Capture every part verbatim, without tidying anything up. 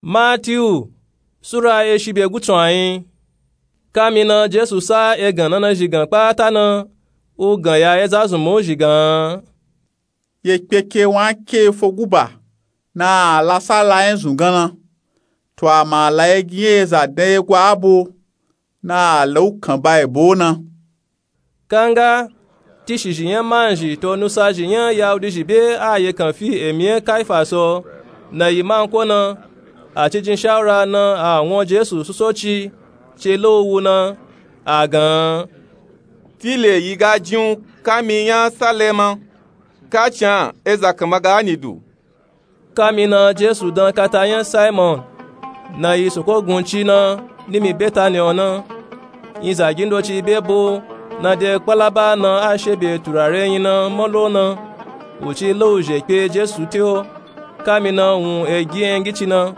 Matiyu sura eshi be gutsu ayin. Kamina jesu sa egan nana zhi gan kpata na, u gan ya ezazunmun zhi gan. Ye kpeke wan ke efo guba na a la sala yen zun gan na, to ama a la egi yen eza dan ye gwa abo na a la u kan ba ebo na. Kanga tishizhi nya manzhi to nusazhi nya yahudizhi be a ye kan fi emi yen kaifa so, na yi manko na, a ci jin shawura na a won jesu susoci ci lo u wu na, a gan. Tile yi ga jin u kami nya salema, kaci an eza kan ma ga ni du. Kamina jesu dan kata nya simon, na yi soko gun ci na, nimi betani o na. Yin zagi ndoci be bo na de kpalaba na a she be turare yin na molo na, u ci lo u zhe kpe jesu te o. Kamina wun egi yen gici na,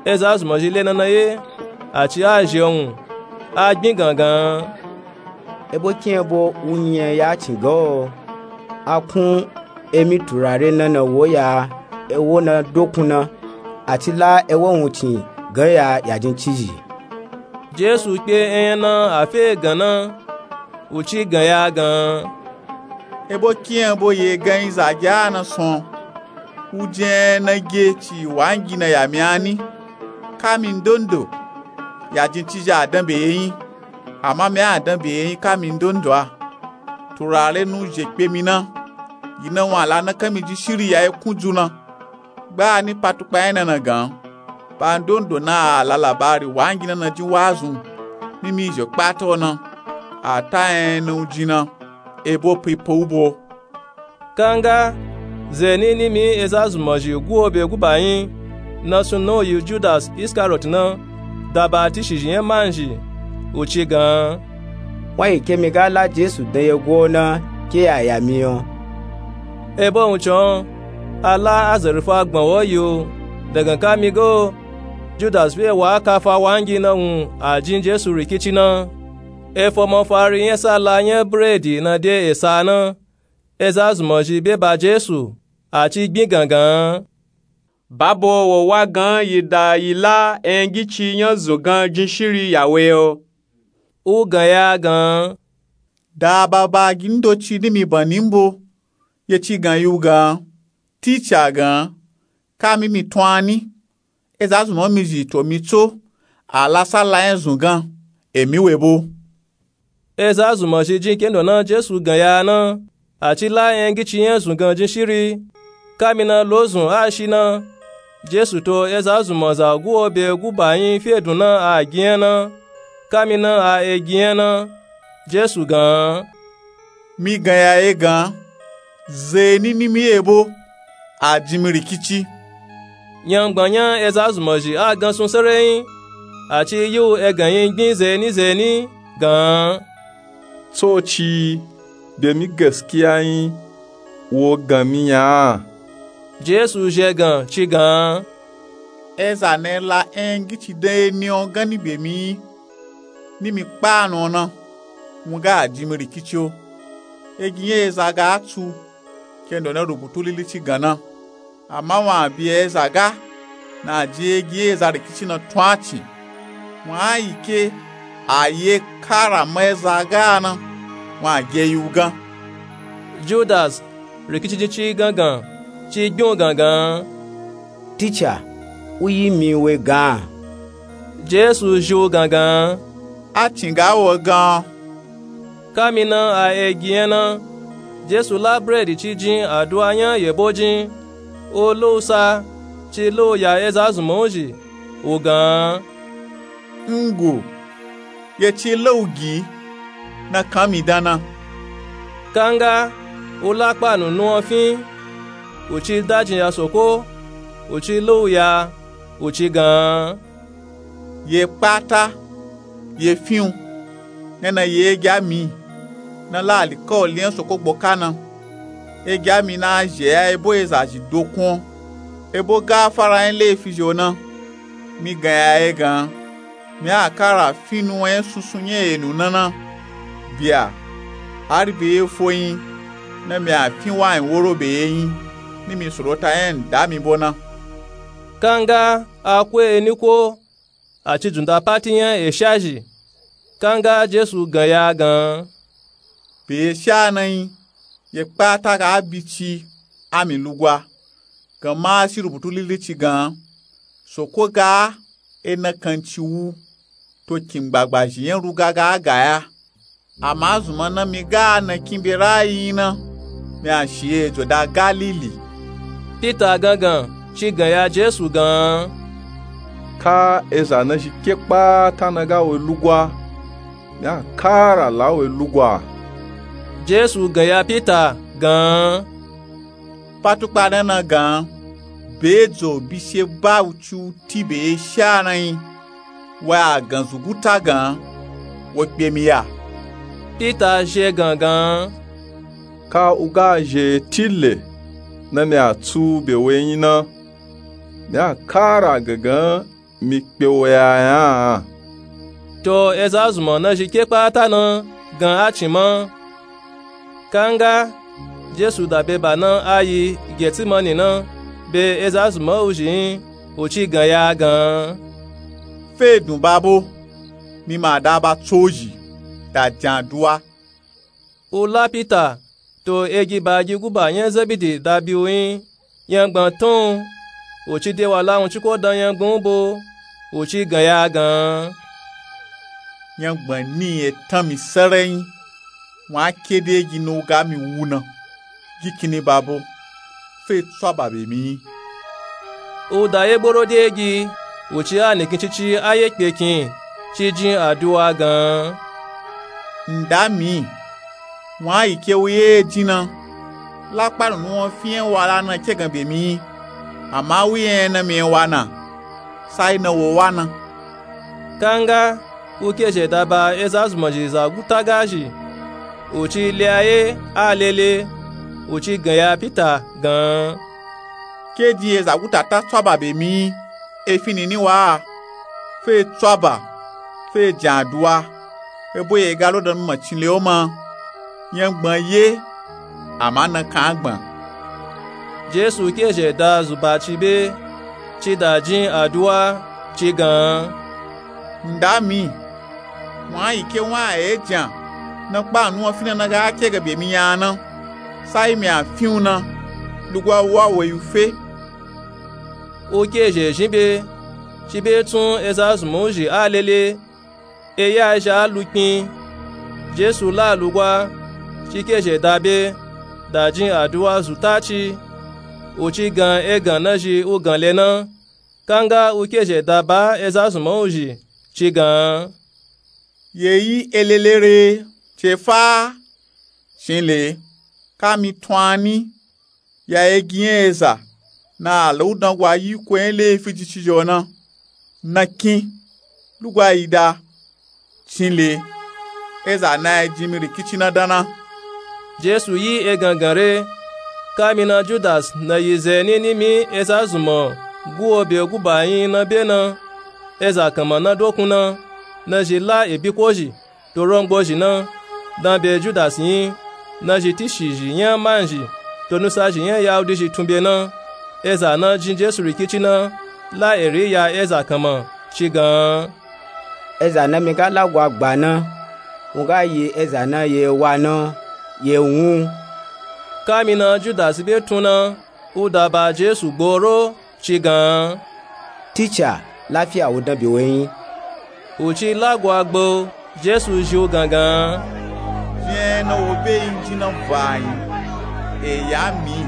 ezazunmazhi le na na ye, a ci a zhe wun, a gbin gangan. Ebo kin ebo u nyi yen ya cin ga o? A kun emi turare na na wo ya ewo na dokun na, a ci la ewo wun cin gan ya yajin cizhi. Jesu kpe eyan na a fe gan na, u ci gan ya gan. Ebo kin ebo ye gan yin zagi a na son, u jin yen na ge ci wangi na ya mi a ni? Kami ndondo yajin cizhi a dan be ye yin, ama mi a dan be ye yin kami ndondo a. Turare nu zhe kpe mi na, yi na wun a la na kan mi jin shiri ya ye kun ju na. Gba ni patukpa yen na na gan, ba ndondo na a la labari wangi na na jin wazun, nimi zhe kpata o na, a ta yen na u jin na, ebo pipa u bo. Kanga zeni nimi ezazunmazhi gu o be guba yin, na sunna u yi judas iskariot na, daba tishizhi nya manzhi, u ci gan. Wanyi ke mi ga la jesu dan ye gwa o na, ke ya ya mi o. Ebo wun con a la azarifa gban wo yi o, dagan kami ga o, judas fe wa kafa wangi na wun a jin jesu rikici na. Efo mafari nya sala nya bredi na de esa na, ezazunmazhi be ba jesu, a ci gbin gangan. Babo wo wa gan yi da yi la eyan gici nya zun gan jin shiri ya we o. U gan ya gan. Da baba gi ndoci nimi ban ni mbo, ye ci gan yi u gan, ticha gan, kami mi tun a ni, ezazunmazhi to mi tso, a la sala yen zun gan, emi we bo. Ezazunmazhi jin kendo na jesu gan ya na, a ci la eyan gici yen zun gan jin shiri. Kamina lozun a shi na, jesu to ezazunmaza gu o be guba yin fe dun na a gi nya na. Kamina a egi nya na, jesu gan. Mi gan ya ye gan, zeni nimi ye bo, a jin mi rikici. Nyangban nya ezazunmazhi a gan sun sere yin, a ci yi u egan yin gbin zeni zeni gan. Tsoci be mi gaskiya yin, wo gan mi nya a? Jesu zhe gan ci gan. Eza na la eyan gici dan ye ni o gan ni be mi yin, ni mi kpa a na o na, wun ga a jin mi rikici o. Egi nya eza ga a tsu, kendo na rubutu lili ci gan na. Ama wun a bi eza ga na a jin egi nya eza rikici na tun a cin. Wun a yi ke a ye kara ma eza ga a na, wun a ge yi u gan. Judas, rikici jin ci gangan, ci gbin u gangan. Ticha, u yi mi we gan. Jesu zhi u gangan. A cin ga wo gan. Kamina a egi nya na, jesu la bredi ci jin aduwa nya yebo jin, u lo u sa, ci lo u ya ezazunman u zhi, u gan. Ngo, ye ci lo u gi, na kan mi dan na. Kanga u la kpa nunu o fin, u ci dajin ya soko, u ci lo u ya, u ci gan. Ye kpata, ye fin u, na na ye egi a mi, na la alikawali nya soko gboka na. Egi a mi na zhe ya ebo eza zhi dokun o, ebo gafara nya lefi zhi o na. Mi gan ya ye gan, mi a kara fin nuwan nya sunsun nya enu na na. Bia, hari be ye fo yin, na mi a fin wayin woro be ye yin, ni mi sorota nya nda mi bo na. Kanga a ko eni ko a ci dzunda pati nya esha zhi. Kanga Jesu gan ya a gan, be esha na nyi, ye kpata ga a bi ci a mi lugwa. Gan ma a si rubutu lili ci gan, soko ga ena kan ci wu to kin gbagba zhi nya ruga ga a ga ya. Ama zunma na mi ga a na kin be ra a yi nyi na, mi a shi ye ejo da galili. Pita gangan ci gan ya Jesu gan, ka eza na zhi ke kpata na ga we lugwa, mi a kara la we lugwa. Jesu gan ya Pita gan, patukpa na na gan, be ejo bi she ba u ci u ti be esha na nyi, wa a gan zuguta gan, wo kpe mi ya. Pita zhe gangan, ka u ga zhe tile na mi a tsu be we nyi na, mi a kara gangan mi kpe wo ya nya a. To eza zunma na zhi ke kpata na gan a cin ma. Kanga Jesu da be ba na a yi Getsimani na, be eza zunma u zhi nyi, u ci gan ya a gan, fe dun babo, mi ma da ba tso zhi, da jan aduwa. U la Pita to egi ba gi guba nya Zebidi da bi u nyi, nyangban tun u, u ci de wa la wun ci ko dan nyangban u bo, u ci gan ya a gan, nyangban ni e tan mi sere nyi, wa a ke de egi na u ga mi wu na, gi kinni babo, fe tsu a ba be mi nyi. U da ye gboro de egi, u ci a nikin cici a ye kpe kin ci jin aduwa gan, nda mi, wa a yi ke u ye e jin na, la kpa nunu won fi nya wa la na ke gan be mi nyi, ama u ye nya na mi nya wa na, sai na wo wa na. Kanga u ke zhe da ba eza zunma zhi zaguta ga zhi, u ci le a ye a lele, u ci gan ya Pita gan, ke jin ye zaguta ta tsu a ba be mi nyi, e fi nini wa a, fe tsu a ba, fe jan aduwa, ebo ye ga lo dan mi ma cin le o ma, nyangban ye, ama na kan a gban. Jesu ke zhe da zuba ci be, ci da jin aduwa, ci gan, nda mi, wa a yi ke wa a ye jan, na kpa nunu won fi na na ga a ke gan be mi nya a na, sai mi a fi u na, lugwa wa we yi u fe. U ke zhe zhin be, ci be tsun eza zunma u zhi a lele, e ya zhi a lu kpin. Jesu la lugwa, ci ke zhe da be, da jin aduwa zu ta ci, u ci gan egan na zhi u gan le na. Kanga u ke zhe da ba eza zunma u zhi, ci gan, ye yi e lele re, ce fa a, cin le, ka mi tun a ni, ya egi nya eza na a la u dan gwa yi ko nya lefi ji ci zhi o na, na kin, lugwa yi da, cin le, eza na ya jin mi rikici na dan na. Jesu yi egangan re, ka mi na Judas na yi ze nini mi eza zunma gu o be guba nyi na be na, eza kanma na dokun na, na zhi la ebi ko zhi to rongbo zhi na, dan be Judas nyi, na zhi tishi zhi nya man zhi to nusa zhi nya Yahudi zhi tun be na. Eza na jin Jesu rikici na, la eri ya eza kanma, ci gan, eza na mi ga lagwa gba na, u ga yi eza na ye wa na, ye wun. Ka mi na Judas be tun na, u da ba Jesu gboro, ci gan, Ticha, lafiya u dan be we nyi. U ci lagwa gba u, Jesu zhi u gangan, zhi nya na wo be yi jin na ba nyi, e ya mi.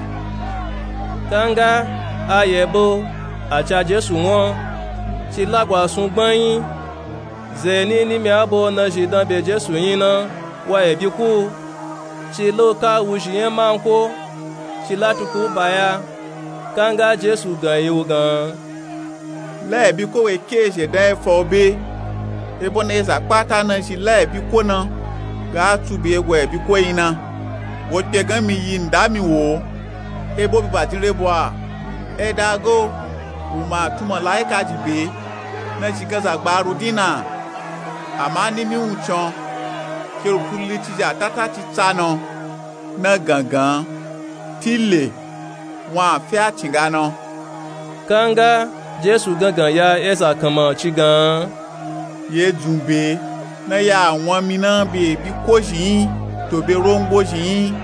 Kanga a ye bo, a ca Jesu won, ci lagwa sun gban nyi. Ze nini mi a bo na zhi dan be Jesu nyi na, wa ebi ku u, ci la u ka wuzhi nya man ko, ci la tuku u ba ya. Kanga Jesu gan yi u gan, la ebi ko we ke zhe dan e fa u be, ebo na eza kpata na zhi la ebi ko na, ga a tsu be gwa ebi ko yi na. Wo kpe gan mi yi nda mi wo, ebo bi ba jin re bo a, e da ga o, u ma tun malaika ji be, na zhi gan za gba a ru din na. Ama ni mi wuncin o, ke rubutu lili ci zhi a ta ta ci tsa na o, na gangan, tile, wa a fe a cin ga na o. Kanga Jesu gangan ya eza kanma ci gan, ye dzun be na ya won mi na be bi kozhi yin to be rongozhi yin,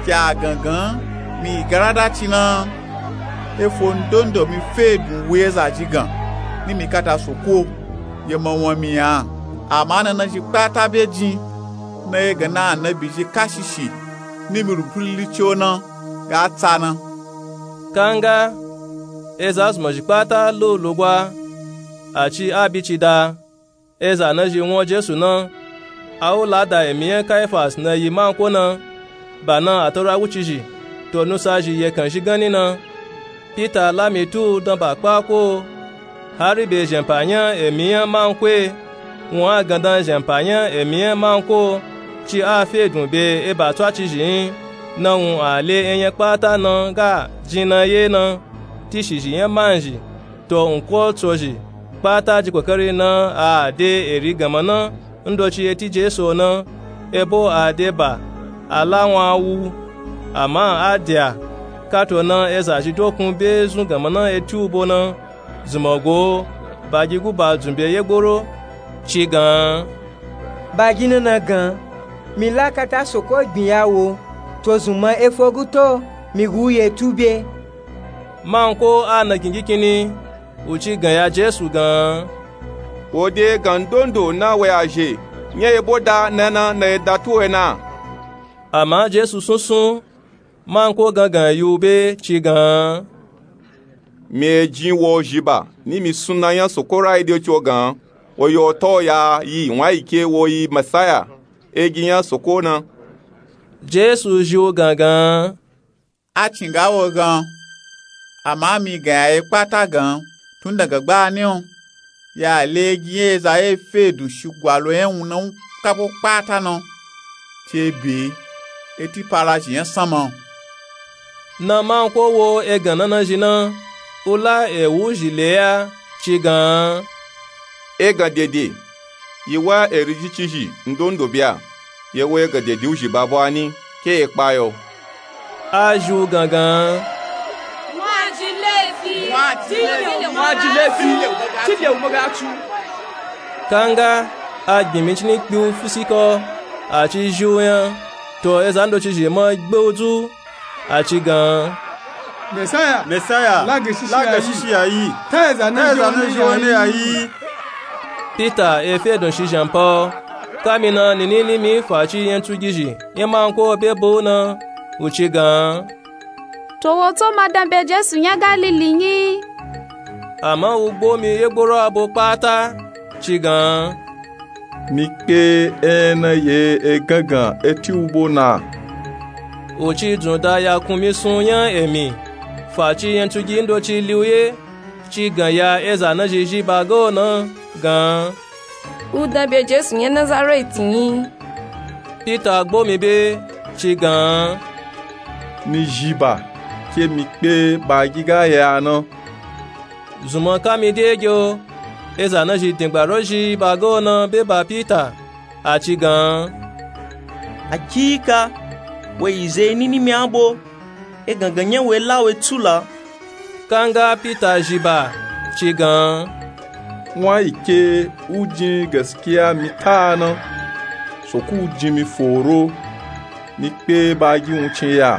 ci a gangan mi garada ci na. Efo ndondo mi fe dun wu eza ji gan ni mi kata soko ye ma won mi ya. Ama nana ji kpata be jin na ye gan na anabi ji kashishi ni mi rupulili ci o na ga tsa na. Kanga eza zuma ji kpata lo lugwa a ci a bi ci da. Eza na ji won Jesu na, a wu lada emi yan Kaifas na yi manko na, ba na a taura wucizhi to nusa zhi yekan zhi ganni na. Pita la mi tu dan ba kpa ko, hari be zhenpa yan emi yan manko e, won a gandan zhenpa yan emi yan manko ci a fe dun be e ba tswacizhi yin. Na wun a le eyan kpata na ga jin na ye na, tishizhi yan manzhi to nko tsozhi kpata ji kokari na a de eri ganma na ndoci eti Jesu o na, ebo a de ba a la won a wu. Ama a de a kato na eza zhi dokun be zun ganma na eti u bo na, zuma go ba gi guba dzun be ye gboro ci gan, ba gi na na gan, mi la kata soko gbin ya wo to zuma efo guto mi gu ye tu be. Manko a na gingi kinni u ci gan ya Jesu gan, wo de gan ndondo na we a zhe nya ye bo da na na na ye da tu we na. Ama Jesu sunsun manko gangan yi u be ci gan, mi e jin wo zhi ba ni mi sunna yan soko rai de ci o gan, wo yo to ya yi won a yi ke wo yi Mesaya, egi yan soko na. Jesu zhi u gangan, a cin ga wo gan, ama mi gan ya ye kpata gan tun daga gbani o. Ya le egi yan eza ye fe dun shigwalo yan wun na wu kabo kpata na, ci e be eti parazhi yan sanma. Na manko wo egan na na zhi na, u la ewu zhi le ya ci gan, egan dede yi wa eri ji cizhi ndondo be a, ye wo egan dede u zhi ba bo a ni ke ye kpa yo. A zhi u gangan, won a ji lefi, won a ji lefi, ti le u mo ga tu. Kanga a gbin mi cini kpi u fisiko a ci zhi u yan, to eza ndoci zhi ma gbe u dzu a ci gan, Mesaya, Mesaya, la gan shishi ya yi, ta eza na zhi o ne ya yi. Pita e fe dun shi zhanpa o, kami na nini ni mi fa ci yan tsugizhi yan manko be bo na, u ci gan, to wo to ma dan be Jesu yan Galili nyi? Ama u gbo mi ye gboro a bo kpata ci gan, mi kpe eyan na ye e gangan eti u bo na. U ci dzun da ya kun mi sun yan emi fa ci yan tsugi ndoci li u ye, ci gan ya eza na zhi zhi ba ga o na gan, u dan be Jesu yan Nazareti nyi? Pita gbo mi be ci gan, mi zhi ba ke mi kpe ba gi ga ya na. Zunma kami de ge o, eza na zhi dingba ro zhi ba ga o na be ba Pita a ci gan, akika wo yi ze nini mi a bo, e gangan yan we la we tula. Kanga Pita zhi ba ci gan, won a yi ke u jin gaskiya mi ta a na, soko u jin mi foro, mi kpe ba gi wun cin ya.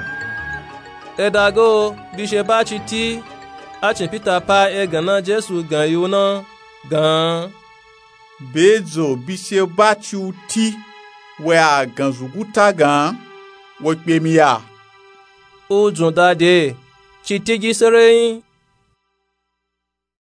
E da ga o bishe ba ci ti, a cin Pita pa egan na Jesu gan yi u na gan, be dzo bishe ba ci u ti we a gan zuguta gan, wo kpe mi ya. U dzun da de ci ti gi sereyin